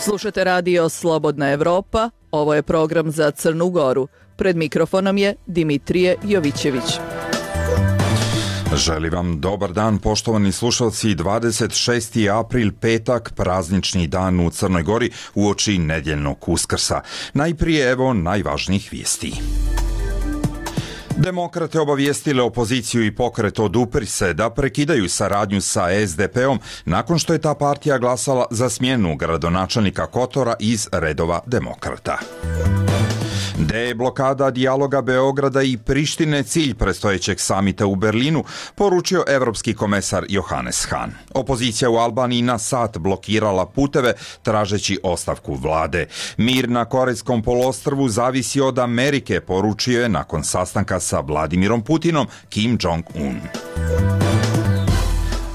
Slušate radio Slobodna Evropa, ovo je program za Crnu Goru. Pred mikrofonom je Dimitrije Jovićević. Želim vam dobar dan, poštovani slušalci. 26. april, petak, praznični dan u Crnoj Gori uoči nedjeljnog Uskrsa. Najprije evo najvažnijih vijesti. Demokrate obavijestile opoziciju i pokret Odupri se da prekidaju saradnju sa SDP-om nakon što je ta partija glasala za smjenu gradonačelnika Kotora iz redova demokrata. Deblokada dijaloga Beograda i Prištine cilj predstojećeg samita u Berlinu, poručio evropski komesar Johannes Hahn. Opozicija u Albaniji na sat blokirala puteve tražeći ostavku vlade. Mir na Korejskom poluostrvu zavisi od Amerike, poručio je nakon sastanka sa Vladimirom Putinom Kim Jong-un.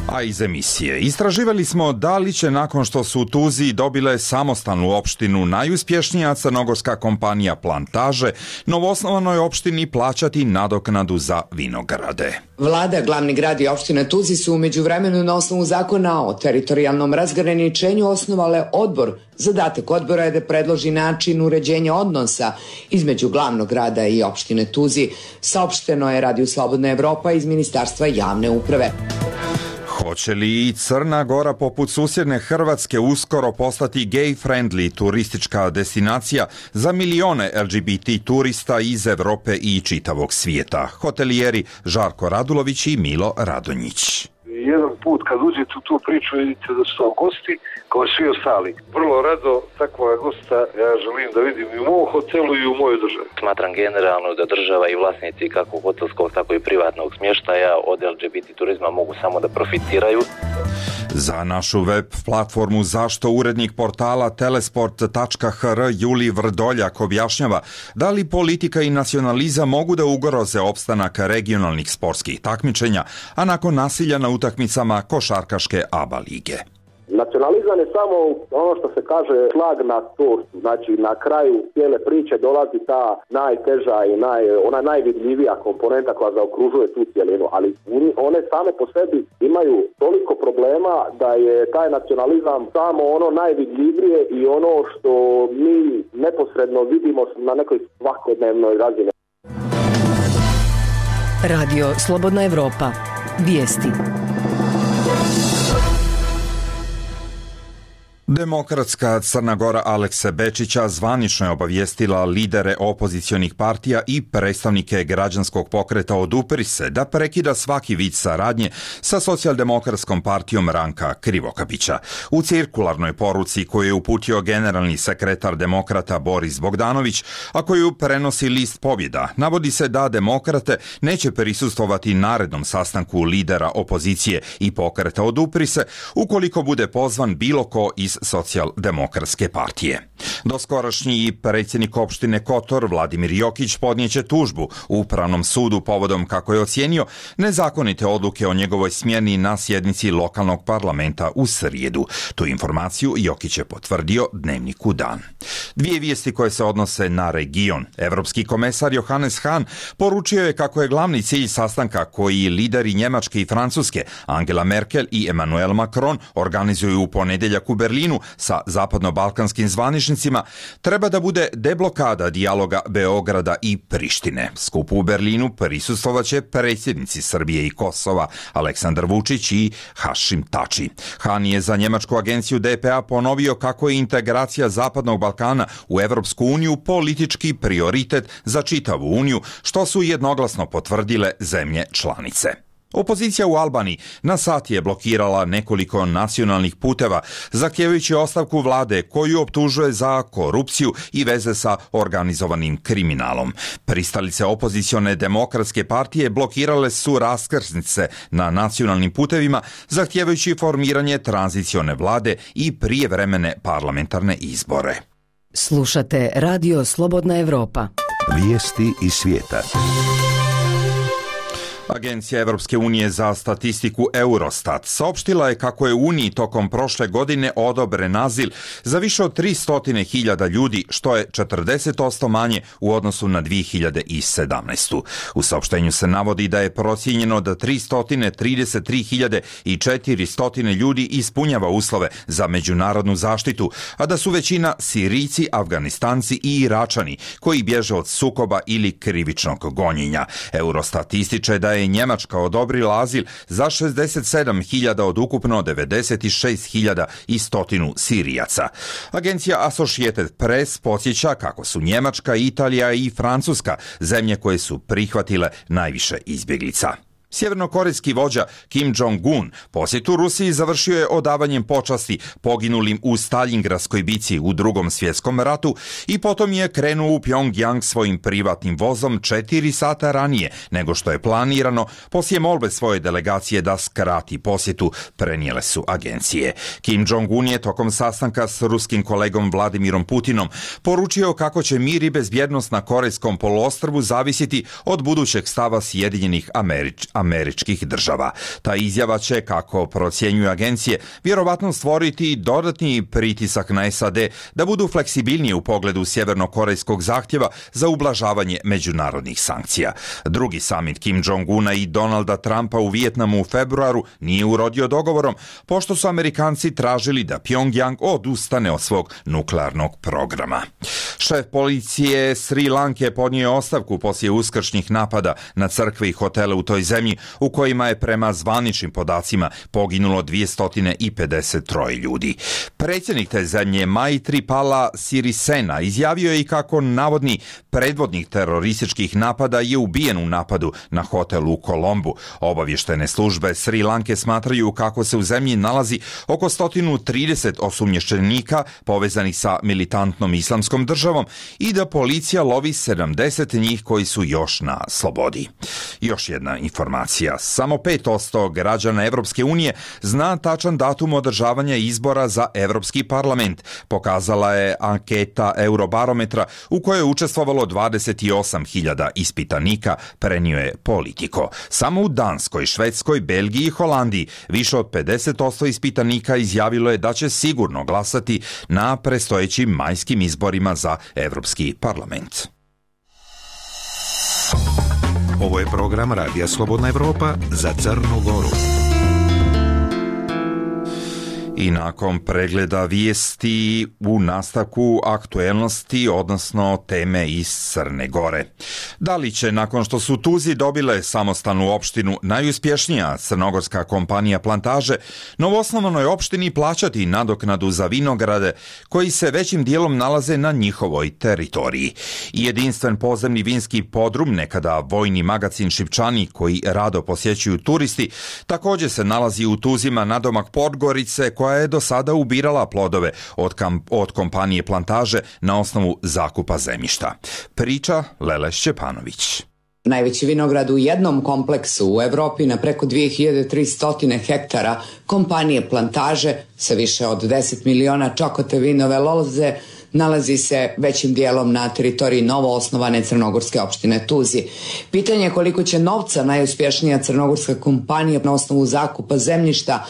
A iz emisije. Istraživali smo da li će nakon što su u Tuziji dobile samostalnu opštinu najuspješnija crnogorska kompanija Plantaže novoosnovanoj opštini plaćati nadoknadu za vinograde. Vlada, glavni grad i opština Tuzi su u međuvremenu na osnovu zakona o teritorijalnom razgraničenju osnovale odbor. Zadatak odbora je da predloži način uređenja odnosa između glavnog grada i opštine Tuzi. Saopšteno je Radio Slobodna Evropa iz Ministarstva javne uprave. Hoće li i Crna Gora poput susjedne Hrvatske uskoro postati gay-friendly turistička destinacija za milione LGBT turista iz Evrope i čitavog svijeta? Hotelijeri Žarko Radulović i Milo Radonjić. Jedan put kad uđete u tu priču vidite da su gosti kao svi ostali. Vrlo rado takvog gosta ja želim da vidim i u mom hotelu i u mojoj državi. Smatram generalno da država i vlasnici kako hotelskog tako i privatnog smještaja od LGBT turizma mogu samo da profitiraju. Za našu web platformu Zašto urednik portala telesport.hr Juli Vrdoljak objašnjava da li politika i nacionalizam mogu da ugroze opstanak regionalnih sportskih takmičenja, a nakon nasilja na utakmicama košarkaške ABA lige. Nacionalizam je samo ono što se kaže šlag na tortu, znači na kraju cijele priče dolazi ta najteža i ona najvidljivija komponenta koja zaokružuje tu cijelinu, ali one same po sebi imaju toliko problema da je taj nacionalizam samo ono najvidljivije i ono što mi neposredno vidimo na nekoj svakodnevnoj razini. Radio Slobodna Evropa. Vijesti. Demokratska Crna Gora Alekse Bečića zvanično je obavijestila lidere opozicionih partija i predstavnike građanskog pokreta Odupri se da prekida svaki vid saradnje sa socijaldemokratskom partijom Ranka Krivokapića. U cirkularnoj poruci koju je uputio generalni sekretar demokrata Boris Bogdanović, a koju prenosi list Pobjeda, navodi se da demokrate neće prisustvovati narednom sastanku lidera opozicije i pokreta Odupri se ukoliko bude pozvan bilo ko iz socijaldemokratske partije. Doskorašnji predsjednik opštine Kotor Vladimir Jokić podnijeće tužbu u Upravnom sudu povodom, kako je ocijenio, nezakonite odluke o njegovoj smjeni na sjednici lokalnog parlamenta u srijedu. Tu informaciju Jokić je potvrdio Dnevniku Dan. Dvije vijesti koje se odnose na region. Evropski komesar Johannes Hahn poručio je kako je glavni cilj sastanka koji lideri Njemačke i Francuske Angela Merkel i Emmanuel Macron organizuju u ponedjeljak u Berlinu sa zapadno-balkanskim zvaničnicima treba da bude deblokada dijaloga Beograda i Prištine. Skupu u Berlinu prisustvovaće predsjednici Srbije i Kosova Aleksandar Vučić i Hašim Tači. Hahn je za njemačku agenciju DPA ponovio kako je integracija Zapadnog Balkana u Evropsku uniju politički prioritet za čitavu uniju, što su jednoglasno potvrdile zemlje članice. Opozicija u Albaniji na sat je blokirala nekoliko nacionalnih puteva, zahtijevajući ostavku vlade koju optužuje za korupciju i veze sa organizovanim kriminalom. Pristalice opozicione demokratske partije blokirale su raskrsnice na nacionalnim putevima, zahtijevajući formiranje tranzicione vlade i prijevremene parlamentarne izbore. Slušate Radio Slobodna Evropa. Vijesti iz svijeta. Agencija Evropske unije za statistiku Eurostat saopštila je kako je Uniji tokom prošle godine odobren azil za više od 300.000 ljudi, što je 40% manje u odnosu na 2017. U saopštenju se navodi da je procijenjeno da 333.400 ljudi ispunjava uslove za međunarodnu zaštitu, a da su većina Sirijci, Afganistanci i Iračani koji bježe od sukoba ili krivičnog gonjenja. Eurostat ističe da je Njemačka odobrila azil za 67.000 od ukupno 96.100 Sirijaca. Agencija Associated Press podsjeća kako su Njemačka, Italija i Francuska zemlje koje su prihvatile najviše izbjeglica. Sjevernokorejski vođa Kim Jong-un posjetu Rusiji završio je odavanjem počasti poginulim u Staljingradskoj bici u Drugom svjetskom ratu i potom je krenuo u Pjongjang svojim privatnim vozom 4 sata ranije nego što je planirano, poslije molbe svoje delegacije da skrati posjetu, prenijele su agencije. Kim Jong-un je tokom sastanka s ruskim kolegom Vladimirom Putinom poručio kako će mir i bezbjednost na Korejskom poluostrvu zavisiti od budućeg stava Sjedinjenih Američkih država. Ta izjava će, kako procjenjuju agencije, vjerovatno stvoriti dodatni pritisak na SAD da budu fleksibilnije u pogledu sjevernokorejskog zahtjeva za ublažavanje međunarodnih sankcija. Drugi samit Kim Jong-una i Donalda Trumpa u Vijetnamu u februaru nije urodio dogovorom, pošto su Amerikanci tražili da Pjongjang odustane od svog nuklearnog programa. Šef policije Sri Lanke podnio je ostavku poslije uskršnjih napada na crkve i hotele u toj zemlji, u kojima je prema zvaničnim podacima poginulo 253 ljudi. Predsjednik te zemlje Maithripala Sirisena izjavio je i kako navodni predvodnik terorističkih napada je ubijen u napadu na hotel u Kolombu. Obavještajne službe Sri Lanke smatraju kako se u zemlji nalazi oko 130 osumnjičenika povezanih sa militantnom islamskom državom i da policija lovi 70 njih koji su još na slobodi. Još jedna informacija. Samo 5% građana Evropske unije zna tačan datum održavanja izbora za Evropski parlament. Pokazala je anketa Eurobarometra u kojoj je učestvovalo 28.000 ispitanika, prenio je Politico. Samo u Danskoj, Švedskoj, Belgiji i Holandiji više od 50% ispitanika izjavilo je da će sigurno glasati na predstojećim majskim izborima za Evropski parlament. Ovo je program Radija Slobodna Evropa za Crnu Goru. I nakon pregleda vijesti u nastavku aktuelnosti, odnosno teme iz Crne Gore. Da li će, nakon što su Tuzi dobile samostalnu opštinu, najuspješnija crnogorska kompanija Plantaže, novoosnovanoj opštini plaćati nadoknadu za vinograde koji se većim dijelom nalaze na njihovoj teritoriji? Jedinstven podzemni vinski podrum, nekada vojni magacin Šipčani koji rado posjećuju turisti, također se nalazi u Tuzima nadomak Podgorice, koja je do sada ubirala plodove od kompanije Plantaže na osnovu zakupa zemljišta. Priča Lele Šćepanović. Najveći vinograd u jednom kompleksu u Evropi na preko 2300 hektara kompanije Plantaže sa više od 10 miliona čokote vinove loze nalazi se većim dijelom na teritoriji novoosnovane crnogorske opštine Tuzi. Pitanje je koliko će novca najuspješnija crnogorska kompanija na osnovu zakupa zemljišta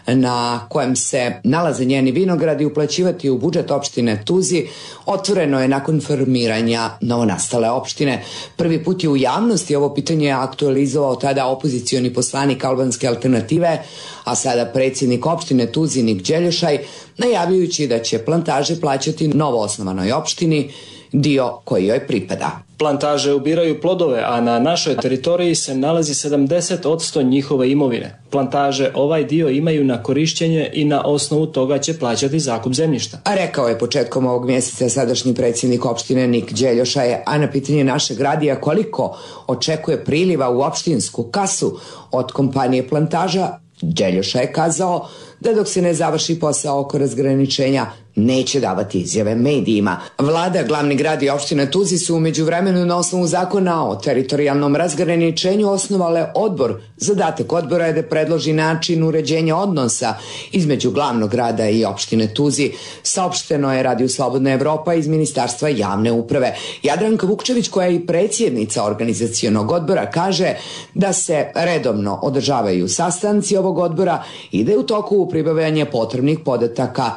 na kojem se nalaze njeni vinogradi uplaćivati u budžet opštine Tuzi otvoreno je nakon formiranja novonastale opštine. Prvi put je u javnosti ovo pitanje aktualizovao tada opozicioni poslanik albanske alternative, a sada predsjednik opštine Tuzi Nik Đeljošaj, najavljujući da će Plantaže plaćati novoosnovanoj opštini dio koji joj pripada. Plantaže ubiraju plodove, a na našoj teritoriji se nalazi 70% njihove imovine. Plantaže ovaj dio imaju na korišćenje i na osnovu toga će plaćati zakup zemljišta. A rekao je početkom ovog mjeseca sadašnji predsjednik opštine Nik Đeljošaj, a na pitanje našeg radija koliko očekuje priliva u opštinsku kasu od kompanije Plantaža, Đeljošaj je kazao da dok se ne završi posao oko razgraničenja neće davati izjave medijima. Vlada, glavni grad i opština Tuzi su u međuvremenu na osnovu zakona o teritorijalnom razgraničenju osnovale odbor. Zadatak odbora je da predloži način uređenja odnosa između glavnog grada i opštine Tuzi. Saopšteno je Radio Slobodna Evropa iz Ministarstva javne uprave. Jadranka Vukčević, koja je i predsjednica organizacionog odbora, kaže da se redovno održavaju sastanci ovog odbora i da je u toku pribavljanje potrebnih podataka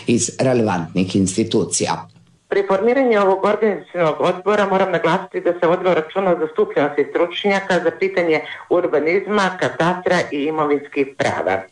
iz relevantnih institucija. Pri formiranju ovog organizacionog odbora moram naglasiti da se vodilo računa o zastupljenosti stručnjaka za pitanje urbanizma, katastra i imovinskih prava.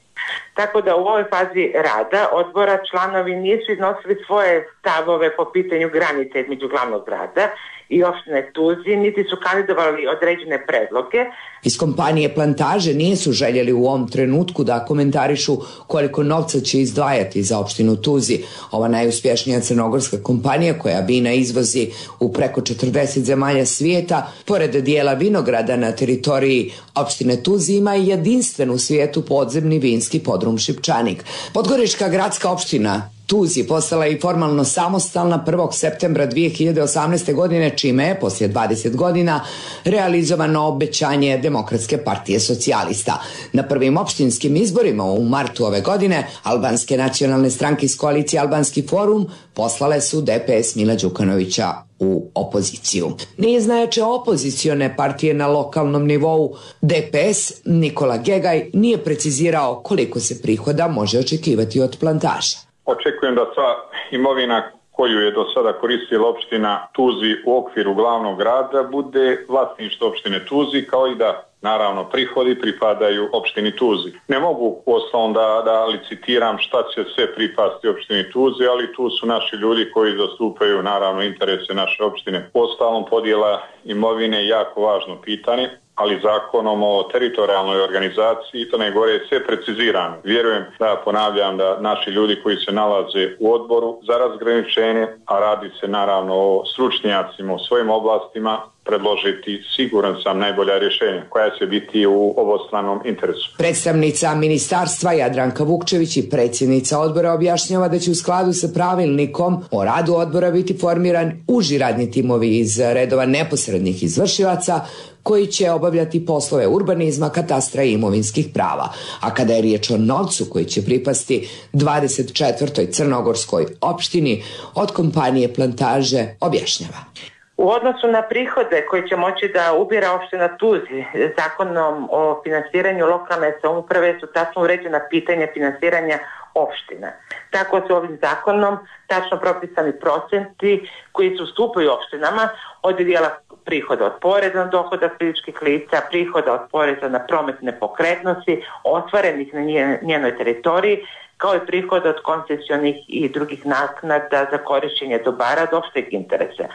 Tako da u ovoj fazi rada odbora članovi nisu iznosili svoje stavove po pitanju granice između glavnog grada i opštine Tuzi, niti su kandidovali određene predloge. Iz kompanije Plantaže nisu željeli u ovom trenutku da komentarišu koliko novca će izdvajati za opštinu Tuzi. Ova najuspješnija crnogorska kompanija koja vina izvozi u preko 40 zemalja svijeta, pored dijela vinograda na teritoriji opštine Tuzi, ima i jedinstven u svijetu podzemni vinski podrum Šipčanik. Podgorička gradska opština Tuzi postala i formalno samostalna 1. septembra 2018. godine, čime je poslije 20 godina realizovano obećanje Demokratske partije socijalista. Na prvim opštinskim izborima u martu ove godine albanske nacionalne stranke iz koalicije Albanski forum poslale su DPS Mila Đukanovića u opoziciju. Niz najjače opozicione partije na lokalnom nivou DPS Nikola Gegaj nije precizirao koliko se prihoda može očekivati od Plantaža. Očekujem da sva imovina koju je do sada koristila opština Tuzi u okviru glavnog grada bude vlasništvo opštine Tuzi, kao i da naravno prihodi pripadaju opštini Tuzi. Ne mogu uostalom da licitiram šta će sve pripasti opštini Tuzi, ali tu su naši ljudi koji zastupaju naravno interese naše opštine. Uostalom podjela imovine je jako važno pitanje, ali zakonom o teritorijalnoj organizaciji Crne Gore je sve precizirano. Vjerujem ponavljam da naši ljudi koji se nalaze u odboru za razgraničenje, a radi se naravno o stručnjacima u svojim oblastima, predložiti, siguran sam, najbolja rješenja koja će biti u obostranom interesu. Predstavnica ministarstva Jadranka Vukčević i predsjednica odbora objašnjava da će u skladu sa pravilnikom o radu odbora biti formiran uži radni timovi iz redova neposrednih izvršilaca koji će obavljati poslove urbanizma, katastra i imovinskih prava. A kada je riječ o novcu koji će pripasti 24. crnogorskoj opštini, od kompanije Plantaže objašnjava. U odnosu na prihode koje će moći da ubira opština Tuzi, zakonom o finansiranju lokalne samouprave su tačno uređena pitanja finansiranja opština. Tako su ovim zakonom tačno propisani procenti koji se ustupaju opštinama od dijela prihoda od poreza na dohodak fizičkih lica, prihoda od poreza na promet nepokretnosti, ostvarenih na njenoj teritoriji, kao i prihoda od koncesionih i drugih naknada za korišćenje dobara od opšteg interesa.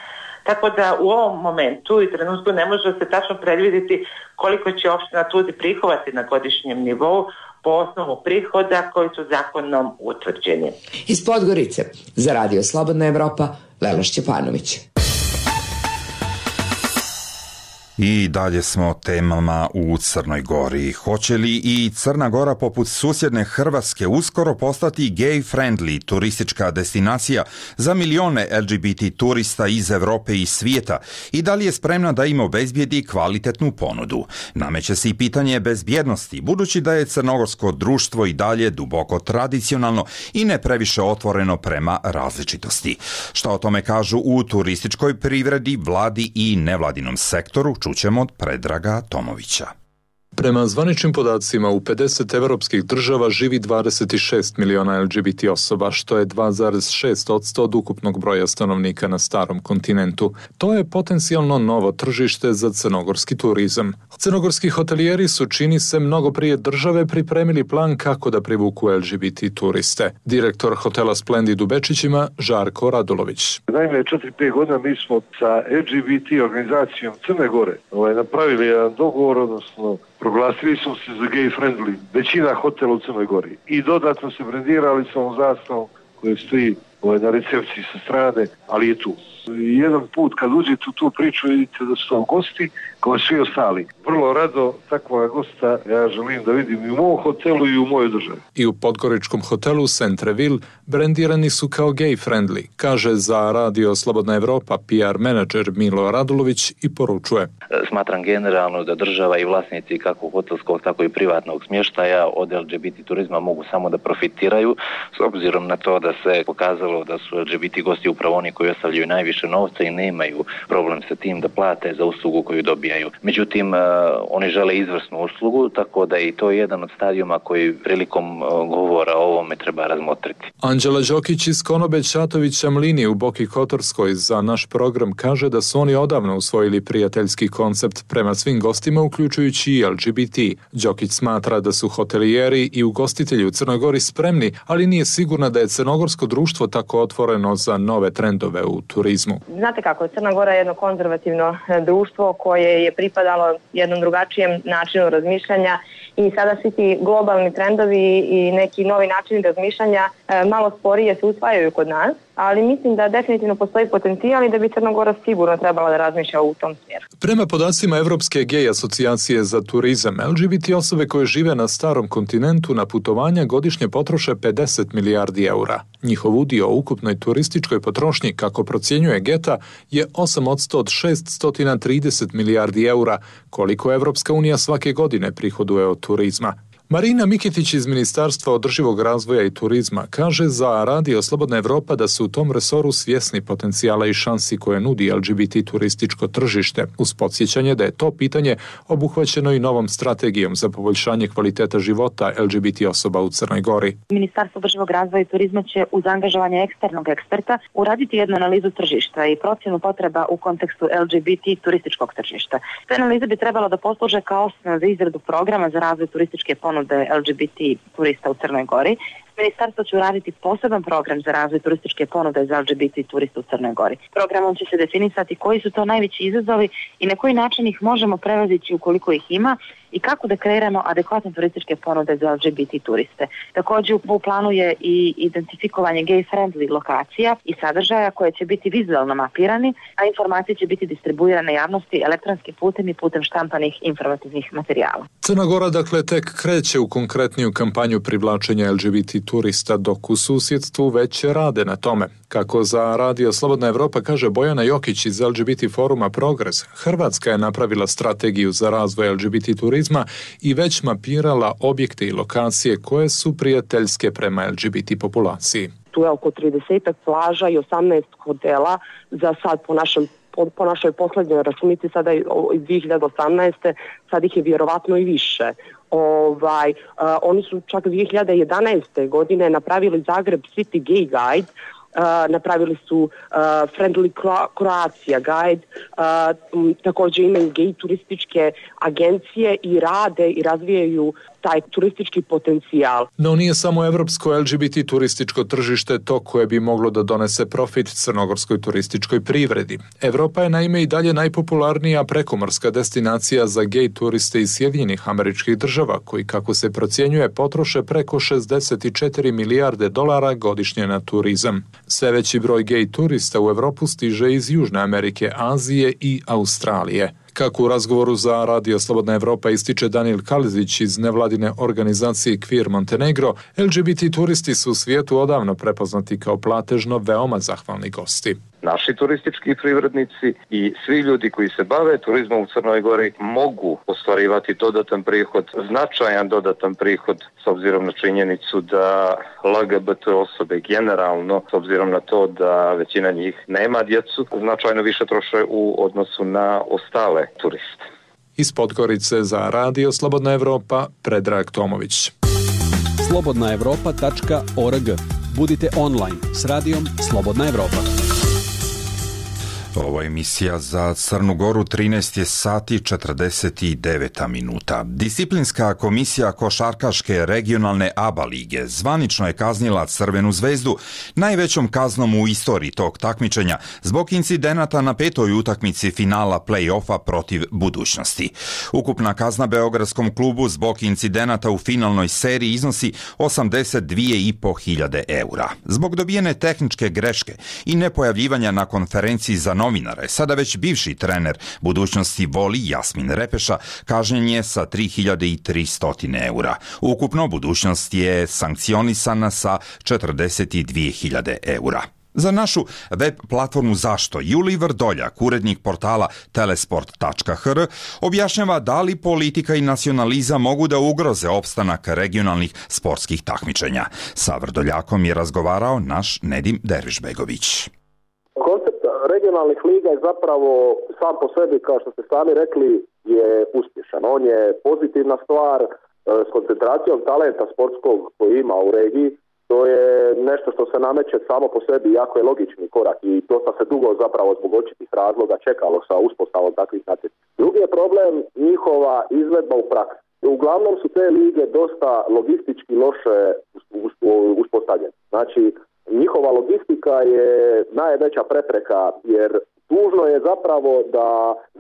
Tako da u ovom momentu i trenutku ne može se tačno predvidjeti koliko će opština Tuzi prihovati na godišnjem nivou po osnovu prihoda koji su zakonom utvrđeni. Iz Podgorice za Radio Slobodna Evropa, Lela Šćepanović. I dalje smo temama u Crnoj Gori. Hoće li i Crna Gora poput susjedne Hrvatske uskoro postati gay-friendly turistička destinacija za milione LGBT turista iz Europe i svijeta i da li je spremna da im obezbijedi kvalitetnu ponudu? Nameće se i pitanje bezbjednosti, budući da je crnogorsko društvo i dalje duboko tradicionalno i ne previše otvoreno prema različitosti. Šta o tome kažu u turističkoj privredi, vladi i nevladinom sektoru, čućemo od Predraga Tomovića. Prema zvaničnim podacima u 50 evropskih država živi 26 miliona LGBT osoba, što je 2,6% od ukupnog broja stanovnika na starom kontinentu. To je potencijalno novo tržište za crnogorski turizam. Crnogorski hotelijeri su, čini se, mnogo prije države pripremili plan kako da privuku LGBT turiste. Direktor hotela Splendid u Bečićima, Žarko Radulović. Naime, 4-5 godina mi smo sa LGBT organizacijom Crne Gore napravili jedan dogovor, odnosno proglasili smo se za gay friendly, većina hotela u Crnoj Gori. I dodatno se brendirali sa ovom zastavom koje stoji na recepciji sa strane, ali je tu. Jedan put kad uđete u tu priču vidite da su tam gosti kao svi ostali. Vrlo rado takva gosta ja želim da vidim i u mom hotelu i u mojoj državi. I u podgoričkom hotelu Centreville brendirani su kao gay friendly, kaže za Radio Slobodna Evropa PR menadžer Milo Radulović i poručuje. Smatram generalno da država i vlasnici kako hotelskog tako i privatnog smještaja od LGBT turizma mogu samo da profitiraju, s obzirom na to da se pokazalo da su LGBT gosti upravo oni koji ostavljaju najviše novca i nemaju problem sa tim da plate za uslugu koju dobijaju. Međutim, oni žele izvrsnu uslugu, tako da je i to jedan od stadijuma koji prilikom govora o ovome treba razmotriti. Anđela Đokić iz Konobe Čatovića Mlini u Boki Kotorskoj za naš program kaže da su oni odavno usvojili prijateljski koncept prema svim gostima, uključujući i LGBT. Đokić smatra da su hotelijeri i ugostitelji u Crnoj Gori spremni, ali nije sigurna da je crnogorsko društvo tako otvoreno za nove trendove u turizmu. Znate kako, Crna Gora je jedno konzervativno društvo koje je pripadalo jednom drugačijem načinu razmišljanja i sada svi ti globalni trendovi i neki novi načini razmišljanja malo sporije se usvajaju kod nas, ali mislim da definitivno postoji potencijal i da bi Crna Gora sigurno trebala da razmišlja u tom smjeru. Prema podacima Evropske gej asocijacije za turizam, LGBT osobe koje žive na starom kontinentu na putovanja godišnje potroše 50 milijardi eura. Njihov udio u ukupnoj turističkoj potrošnji, kako procjenjuje Geta, je 8% od 630 milijardi eura, koliko Evropska unija svake godine prihoduje od turizma. Marina Mikitić iz Ministarstva održivog razvoja i turizma kaže za Radio Slobodna Evropa da su u tom resoru svjesni potencijala i šansi koje nudi LGBT turističko tržište, uz podsjećanje da je to pitanje obuhvaćeno i novom strategijom za poboljšanje kvaliteta života LGBT osoba u Crnoj Gori. Ministarstvo održivog razvoja i turizma će uz angažovanje eksternog eksperta uraditi jednu analizu tržišta i procjenu potreba u kontekstu LGBT turističkog tržišta. Te analize bi trebalo da posluže kao osnova za izradu programa za razvoj turističke ponude LGBT turista u Crnoj Gori. Ministarstvo će uraditi poseban program za razvoj turističke ponude za LGBT turista u Crnoj Gori. Programom će se definisati koji su to najveći izazovi i na koji način ih možemo prevazići ukoliko ih ima i kako da kreiramo adekvatne turističke ponude za LGBT turiste. Također u planu je i identifikovanje gay-friendly lokacija i sadržaja koje će biti vizualno mapirani, a informacije će biti distribuirane javnosti elektronskim putem i putem štampanih informativnih materijala. Crna Gora dakle tek kreće u konkretniju kampanju privlačenja LGBT turista, dok u susjedstvu već rade na tome. Kako za Radio Slobodna Evropa kaže Bojana Jokić iz LGBT foruma Progres, Hrvatska je napravila strategiju za razvoj LGBT turizma i već mapirala objekte i lokacije koje su prijateljske prema LGBT populaciji. Tu je oko 30 plaža i 18 hotela za sad po našoj posljednjoj računici sada iz 2018. sad ih je vjerovatno i više. Oni su čak 2011. godine napravili Zagreb City Gay Guide, napravili su Friendly Croatia Guide, također imaju gej turističke agencije i rade i razvijaju taj turistički potencijal. No nije samo evropsko LGBT turističko tržište to koje bi moglo da donese profit crnogorskoj turističkoj privredi. Evropa je naime i dalje najpopularnija prekomorska destinacija za gej turiste iz Sjedinjenih Američkih Država, koji, kako se procjenjuje, potroše preko 64 milijarde dolara godišnje na turizam. Sve veći broj gej turista u Evropu stiže iz Južne Amerike, Azije i Australije. Kako u razgovoru za Radio Slobodna Evropa ističe Danil Kalizić iz nevladine organizacije Queer Montenegro, LGBT turisti su u svijetu odavno prepoznati kao platežno veoma zahvalni gosti. Naši turistički privrednici i svi ljudi koji se bave turizmom u Crnoj Gori mogu ostvarivati dodatan prihod, značajan dodatan prihod s obzirom na činjenicu da LGBT osobe generalno, s obzirom na to da većina njih nema djecu, značajno više troše u odnosu na ostale turiste. Iz Podgorice za Radio Slobodna Evropa, Predrag Tomović. slobodnaevropa.org. Budite online s Radijom Slobodna Evropa. Ovo je emisija za Crnu Goru, 13 je sati 49 minuta. Disciplinska komisija košarkaške regionalne ABA lige zvanično je kaznila Crvenu zvezdu najvećom kaznom u istoriji tog takmičenja zbog incidenata na 5. utakmici finala play-offa protiv Budućnosti. Ukupna kazna beogradskom klubu zbog incidenata u finalnoj seriji iznosi 82.500 eura. Zbog dobijene tehničke greške i nepojavljivanja na konferenciji za novinare, sada već bivši trener Budućnosti Voli Jasmin Repeša kažnjen je sa 3.300 eura. Ukupno Budućnost je sankcionisana sa 42.000 eura. Za našu web platformu Zašto Julij Vrdoljak, urednik portala telesport.hr, objašnjava da li politika i nacionalizam mogu da ugroze opstanak regionalnih sportskih takmičenja. Sa Vrdoljakom je razgovarao naš Nedim Dervišbegović. Koncept regionalnih liga je zapravo sam po sebi, kao što ste sami rekli, je uspješan. On je pozitivna stvar s koncentracijom talenta sportskog koji ima u regiji. To je nešto što se nameće samo po sebi, jako je logični korak i dosta se dugo zapravo zbog očitih razloga čekalo sa uspostavom takvih natjecanja. Drugi je problem njihova izvedba u praksi. Uglavnom su te lige dosta logistički loše uspostavljene. Znači, njihova logistika je najveća prepreka, jer tužno je zapravo da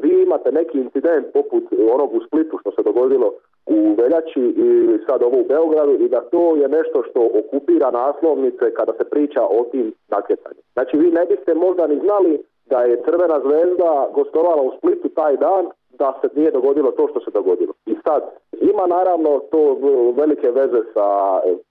vi imate neki incident poput onog u Splitu što se dogodilo u veljači i sad ovo u Beogradu i da to je nešto što okupira naslovnice kada se priča o tim natjecanjima. Znači vi ne biste možda ni znali da je Crvena zvezda gostovala u Splitu taj dan da se nije dogodilo to što se dogodilo. I sad ima naravno to velike veze sa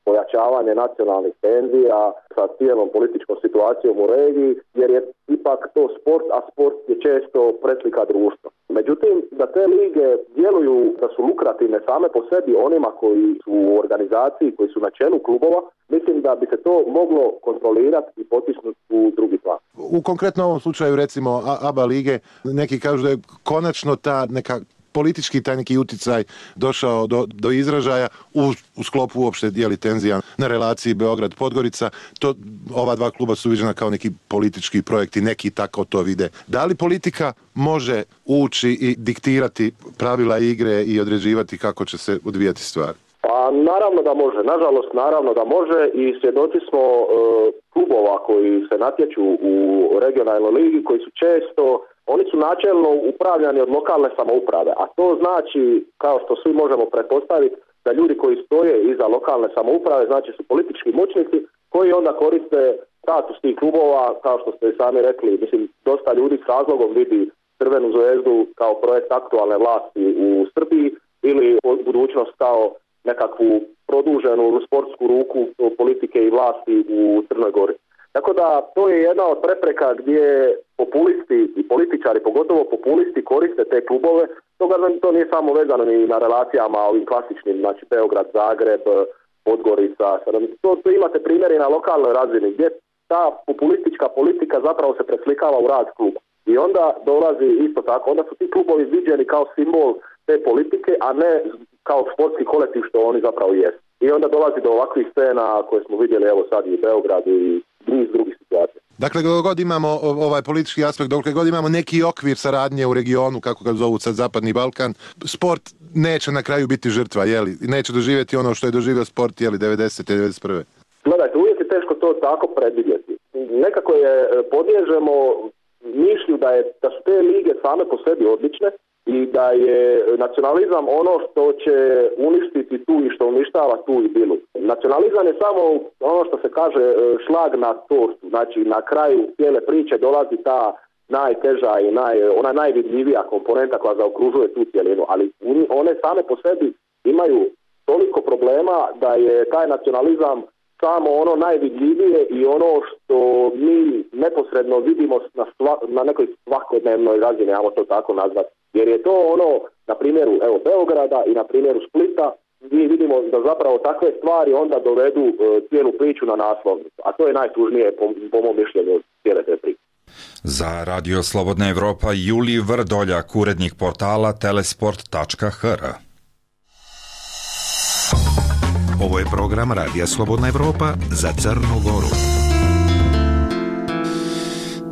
pojačavanje nacionalnih tenzija, sa cijelom političkom situacijom u regiji, jer je ipak to sport, a sport je često preslika društva. Međutim, da te lige djeluju da su lukrativne same po sebi onima koji su u organizaciji, koji su na čelu klubova, mislim da bi se to moglo kontrolirati i potisnuti u drugi plan. U konkretno ovom slučaju, recimo ABA lige, neki kažu da je konačno ta neka politički taj neki uticaj došao do izražaja u sklopu uopšte tenzija na relaciji Beograd-Podgorica. To ova dva kluba su viđena kao neki politički projekti, neki tako to vide. Da li politika može ući i diktirati pravila igre i određivati kako će se odvijati stvar? Pa naravno da može, nažalost naravno da može i svjedoci smo klubova koji se natječu u regionalnoj ligi koji su često, oni su načelno upravljani od lokalne samouprave, a to znači, kao što svi možemo pretpostaviti, da ljudi koji stoje iza lokalne samouprave, znači su politički moćnici koji onda koriste status tih klubova, kao što ste sami rekli, mislim, dosta ljudi s razlogom vidi Crvenu zvezdu kao projekt aktualne vlasti u Srbiji ili Budućnost kao nekakvu produženu sportsku ruku politike i vlasti u Crnoj Gori. Tako da to je jedna od prepreka gdje populisti i političari, pogotovo populisti, koriste te klubove. To nije samo vezano ni na relacijama ovim klasičnim, znači Beograd, Zagreb, Podgorica. To imate primjeri na lokalnoj razini gdje ta populistička politika zapravo se preslikava u rad kluba. I onda dolazi isto tako, onda su ti klubovi viđeni kao simbol te politike, a ne kao sportski kolektiv što oni zapravo jesu. I onda dolazi do ovakvih scena koje smo vidjeli evo sad i u Beogradu i niz drugih situacija. Dakle, dok god imamo ovaj politički aspekt, dok god imamo neki okvir saradnje u regionu, kako ga zovu sad Zapadni Balkan, sport neće na kraju biti žrtva, jeli? Neće doživjeti ono što je doživio sport, jeli, 90. i 91. Gledajte, uvijek je teško to tako predvidjeti. Nekako je podliježemo mišlju da su te lige same po sebi odlične i da je nacionalizam ono što će uništiti tu i što uništava tu idilu. Nacionalizam je samo ono što se kaže šlag na tortu, znači na kraju cijele priče dolazi ta najteža i ona najvidljivija komponenta koja zaokružuje tu cijelinu, ali one same po sebi imaju toliko problema da je taj nacionalizam samo ono najvidljivije i ono što mi neposredno vidimo na nekoj svakodnevnoj razini, ajmo to tako nazvati. Jer je to ono, na primjeru Beograda i na primjeru Splita, mi vidimo da zapravo takve stvari onda dovedu cijelu priču na naslovnicu. A to je najtužnije po mom mišljenju cijele te priče. Za Radio Slobodna Evropa Julij Vrdoljak, urednik portala telesport.hr. Ovo je program Radija Slobodna Evropa za Crnu Goru.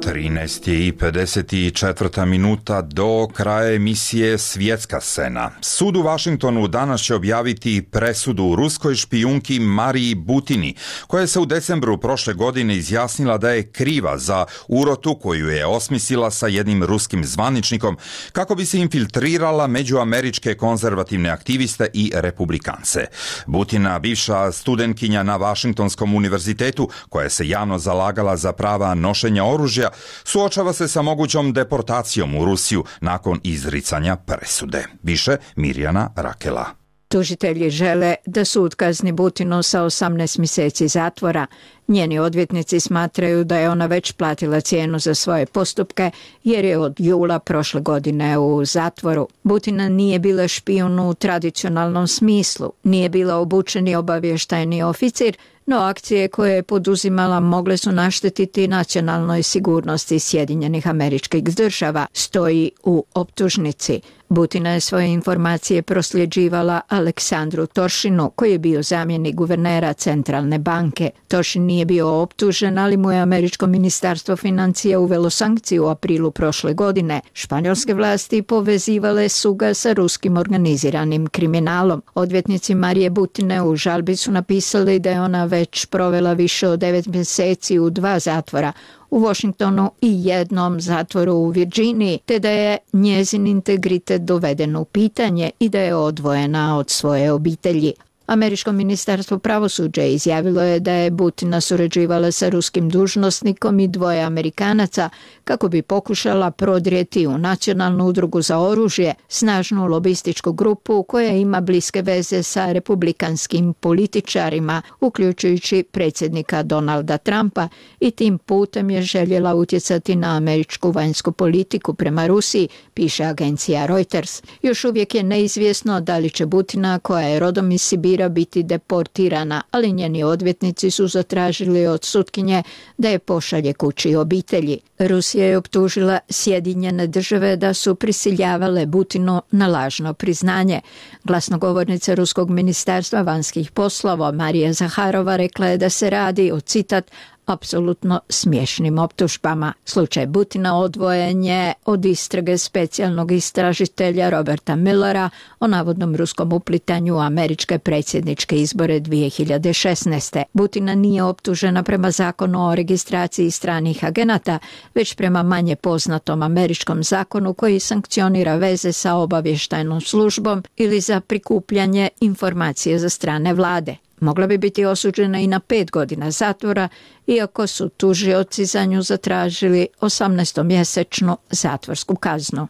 13:54 minuta do kraja emisije Svjetska scena. Sud u Vašingtonu danas će objaviti presudu ruskoj špijunki Mariji Butini, koja se u decembru prošle godine izjasnila da je kriva za urotu koju je osmislila sa jednim ruskim zvaničnikom kako bi se infiltrirala među američke konzervativne aktiviste i republikance. Butina, bivša studentkinja na Vašingtonskom univerzitetu, koja se javno zalagala za prava nošenja oružja, suočava se sa mogućom deportacijom u Rusiju nakon izricanja presude. Više Mirjana Rakela. Tužitelji žele da sud kazni Butinu sa 18 mjeseci zatvora. Njeni odvjetnici smatraju da je ona već platila cijenu za svoje postupke jer je od jula prošle godine u zatvoru. Butina nije bila špijun u tradicionalnom smislu, nije bila obučeni obavještajni oficir, no akcije koje je poduzimala mogle su naštetiti nacionalnoj sigurnosti Sjedinjenih Američkih Država, stoji u optužnici. Butina je svoje informacije prosljeđivala Aleksandru Toršinu, koji je bio zamjenik guvernera Centralne banke. Toršin nije bio optužen, ali mu je američko ministarstvo financija uvelo sankciju u aprilu prošle godine. Španjolske vlasti povezivale su ga sa ruskim organiziranim kriminalom. Odvjetnici Marije Butine u žalbi su napisali da je ona već provela više od 9 mjeseci u 2 zatvora, u Washingtonu i jednom zatvoru u Virginiji, te da je njezin integritet doveden u pitanje i da je odvojena od svoje obitelji. Američko ministarstvo pravosuđa izjavilo je da je Butina surađivala sa ruskim dužnosnikom i 2 Amerikanaca kako bi pokušala prodrijeti u Nacionalnu udrugu za oružje, snažnu lobističku grupu koja ima bliske veze sa republikanskim političarima, uključujući predsjednika Donalda Trumpa, i tim putem je željela utjecati na američku vanjsku politiku prema Rusiji, piše agencija Reuters. Još uvijek je neizvjesno da li će Butina, koja je rodom iz Sibira, biti deportirana, ali njeni odvjetnici su zatražili od sutkinje da je pošalje kući obitelji. Rusija je optužila Sjedinjene Države da su prisiljavale Butinu na lažno priznanje. Glasnogovornica Ruskog ministarstva vanjskih poslova Marija Zaharova rekla je da se radi o, citat, apsolutno smiješnim optužbama. Slučaj Butina odvojen je od istrage specijalnog istražitelja Roberta Millera o navodnom ruskom uplitanju u američke predsjedničke izbore 2016. Butina nije optužena prema zakonu o registraciji stranih agenata, već prema manje poznatom američkom zakonu koji sankcionira veze sa obavještajnom službom ili za prikupljanje informacije za strane vlade. Mogla bi biti osuđena i na 5 godina zatvora, iako su tužioci za nju zatražili 18-mjesečnu zatvorsku kaznu.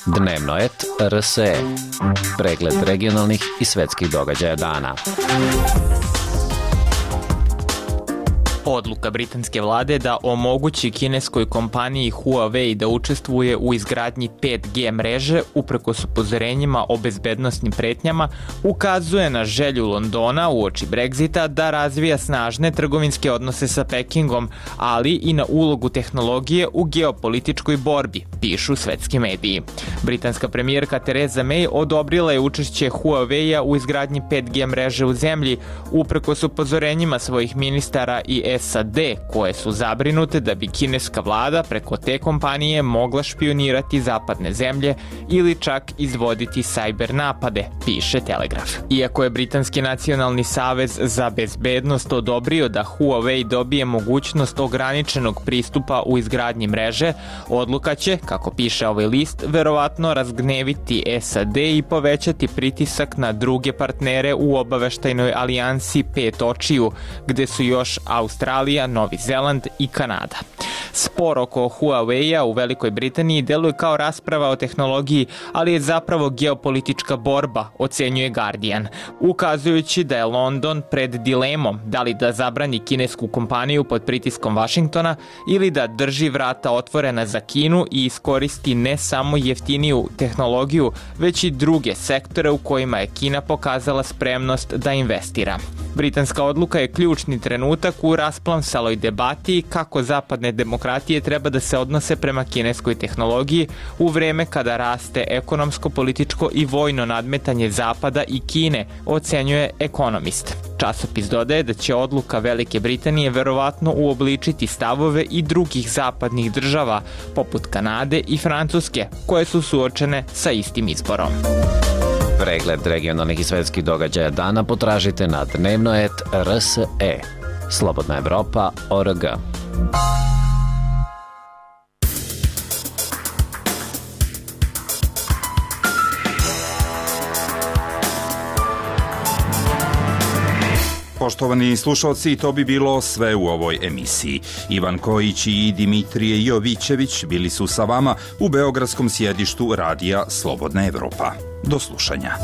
Dnevno et RSE. Pregled regionalnih i svjetskih događaja dana. Odluka britanske vlade da omogući kineskoj kompaniji Huawei da učestvuje u izgradnji 5G mreže uprkos upozorenjima o bezbednosnim pretnjama ukazuje na želju Londona uoči Brexita da razvija snažne trgovinske odnose sa Pekingom, ali i na ulogu tehnologije u geopolitičkoj borbi, pišu svetski mediji. Britanska premijerka Theresa May odobrila je učešće Huawei-a u izgradnji 5G mreže u zemlji uprkos upozorenjima svojih ministara i SAD, koje su zabrinute da bi kineska vlada preko te kompanije mogla špionirati zapadne zemlje ili čak izvoditi cyber napade, piše Telegraf. Iako je Britanski nacionalni savez za bezbednost odobrio da Huawei dobije mogućnost ograničenog pristupa u izgradnji mreže, odluka će, kako piše ovaj list, verovatno razgneviti SAD i povećati pritisak na druge partnere u obaveštajnoj alijansi 5 očiju, gde su još Australija, Novi Zeland i Kanada. Spor oko Huawei-a u Velikoj Britaniji deluje kao rasprava o tehnologiji, ali je zapravo geopolitička borba, ocenjuje Guardian, ukazujući da je London pred dilemom da li da zabrani kinesku kompaniju pod pritiskom Vašingtona ili da drži vrata otvorena za Kinu i iskoristi ne samo jeftiniju tehnologiju, već i druge sektore u kojima je Kina pokazala spremnost da investira. Britanska odluka je ključni trenutak u rasplamsaloj debati kako zapadne demokratije treba da se odnose prema kineskoj tehnologiji u vreme kada raste ekonomsko, političko i vojno nadmetanje Zapada i Kine, ocenjuje Economist. Časopis dodaje da će odluka Velike Britanije verovatno uobličiti stavove i drugih zapadnih država, poput Kanade i Francuske, koje su suočene sa istim izborom. Pregled regionalnih i svetskih događaja dana potražite na dnevno.rs.e. Slobodna Evropa.org. Poštovani slušalci, to bi bilo sve u ovoj emisiji. Ivan Kojić i Dimitrije Jovićević bili su sa vama u beogradskom sjedištu radija Slobodna Evropa. Do slušanja.